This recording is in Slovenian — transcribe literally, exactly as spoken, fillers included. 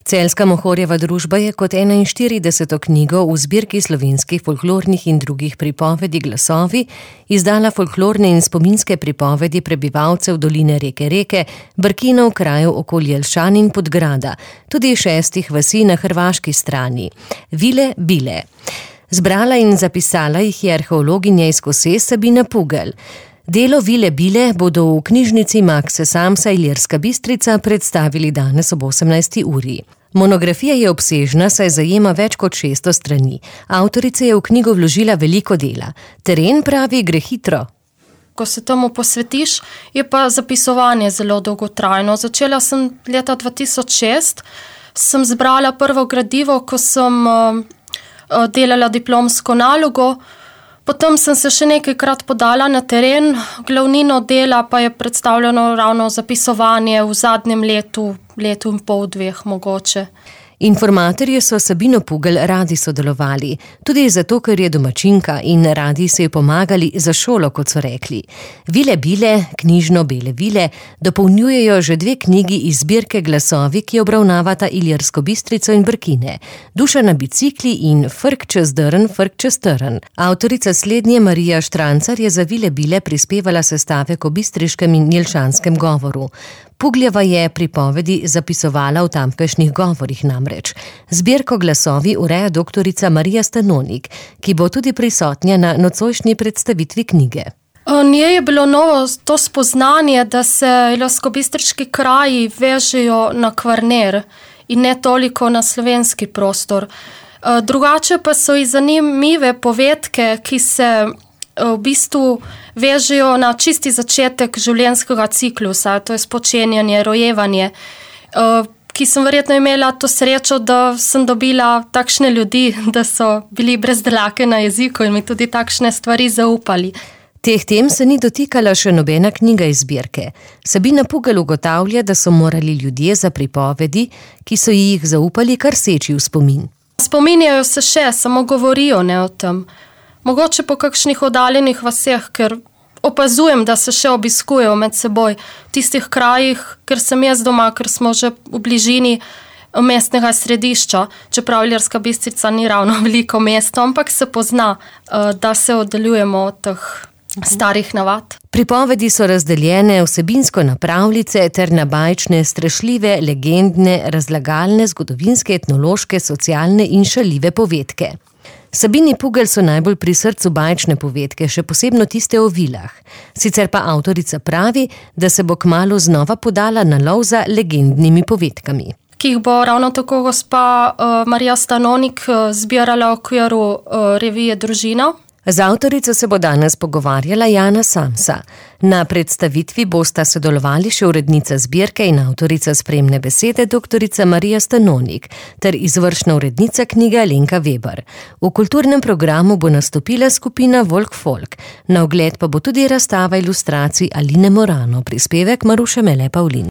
Celjska Mohorjeva družba je kot enainštirideseto knjigo v zbirki slovenskih folklornih in drugih pripovedi Glasovi izdala folklorne in spominske pripovedi prebivalcev doline reke Reke, Brkinov, krajev okoli Jelšan in Podgrada, tudi šestih vasi na hrvaški strani. Vile Bile. Zbrala in zapisala jih je arheologinja iz Kose Sabina Pugelj. Delo Vile Bile bodo v knjižnici Makse Samsa Ilirska Bistrica predstavili danes ob osemnajsti uri. Monografija je obsežna, saj zajema več kot šeststo strani. Avtorica je v knjigo vložila veliko dela. Teren, pravi, gre hitro. Ko se tomu posvetiš, je pa zapisovanje zelo dolgotrajno. Začela sem leta dva tisoč šest, sem zbrala prvo gradivo, ko sem uh, delala diplomsko nalogo. Potem sem se še nekajkrat podala na teren, glavnino dela pa je predstavljeno ravno zapisovanje v zadnjem letu, letu in pol, dveh mogoče. Informatorji so Sabino Pugelj radi sodelovali, tudi zato, ker je domačinka in radi so ji pomagali za šolo, kot so rekli. Vile Bile, knjižno Bele Vile, dopolnjujejo že dve knjigi iz zbirke Glasovi, ki obravnavata Ilirsko Bistrico in Brkine. Duša na bicikli in Frk čez drn, frk čez trn. Avtorica slednje Marija Štrancar je za Vile Bile prispevala sestavek o bistriškem in jelšanskem govoru. Pugljeva je pripovedi zapisovala v tamkajšnjih govorih namreč. Zbirko Glasovi ureja doktorica Marija Stanonik, ki bo tudi prisotnja na nocojšnji predstavitvi knjige. Njej je bilo novo to spoznanje, da se ilirsko-bistriški kraji vežejo na Kvarner in ne toliko na slovenski prostor. Drugače pa so ji zanimive povedke, ki se v bistvu vežejo na čisti začetek življenjskega ciklusa, to je spočenjanje, rojevanje, ki sem verjetno imela to srečo, da sem dobila takšne ljudi, da so bili brez dlake na jeziku in mi tudi takšne stvari zaupali. Teh tem se ni dotikala še nobena knjiga iz zbirke. Sabina Pugelj ugotavlja, da so morali ljudje za pripovedi, ki so jih zaupali, kar seči v spomin. Spominjajo se še, samo govorijo ne o tem. Mogoče po kakšnih oddaljenih vaseh, ker opazujem, da se še obiskujejo med seboj v tistih krajih, ker sem jaz doma, ker smo že v bližini mestnega središča, čeprav Ilirska Bistrica ni ravno veliko mesto, ampak se pozna, da se oddaljujemo od teh starih navad. Pripovedi so razdeljene vsebinsko na pravljice ter na bajčne, strašljive, legendne, razlagalne, zgodovinske, etnološke, socialne in šaljive povedke. Sabini Pugelj so najbolj pri srcu bajčne povedke, še posebno tiste o vilah. Sicer pa avtorica pravi, da se bo kmalu znova podala na lov za legendnimi povedkami. Ki jih bo ravno tako gospa uh, Marija Stanonik uh, zbirala v okviru uh, revije Družina. Z avtorico se bo danes pogovarjala Jana Samsa. Na predstavitvi bosta sodelovali še urednica zbirke in avtorica spremne besede doktorica Marija Stanonik ter izvršna urednica knjige Alenka Weber. V kulturnem programu bo nastopila skupina Volk Folk. Na ogled pa bo tudi razstava ilustracij Aline Morano, prispevek Maruše Mele Pavlin.